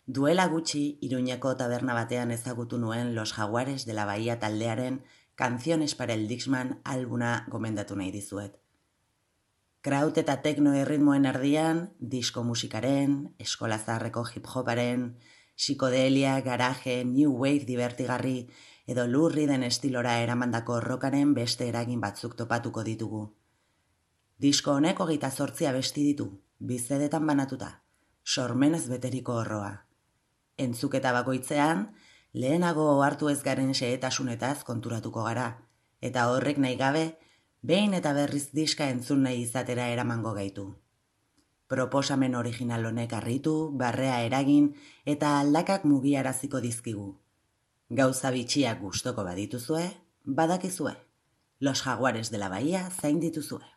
Duela gutxi, Iruñeko taberna batean ezagutu nuen Los Jaguares de la Bahía taldearen Canciones para el Dixman albuna gomendatu nahi dizuet. Kraut eta tekno erritmoen erdian, disko musikaren, eskola zaharreko hip-hoparen, psikodelia, garaje, new wave divertigarri edo lurri den estilora eramandako rockaren beste eragin batzuk topatuko ditugu. Disko honek 28 abesti ditu, bizedetan banatuta, sormenez beteriko horroa. Entzuketa bakoitzean, lehenago hartu ez garen xehetasunetaz konturatuko gara, eta horrek nahi gabe, behin eta berriz diska entzun nahi izatera eramango gaitu. Proposamen original honek harritu, barrea eragin eta aldakak mugiaraziko dizkigu. Gauza bitxiak gustoko badituzue, badakizue. Los Jaguares de la Bahía zain dituzue.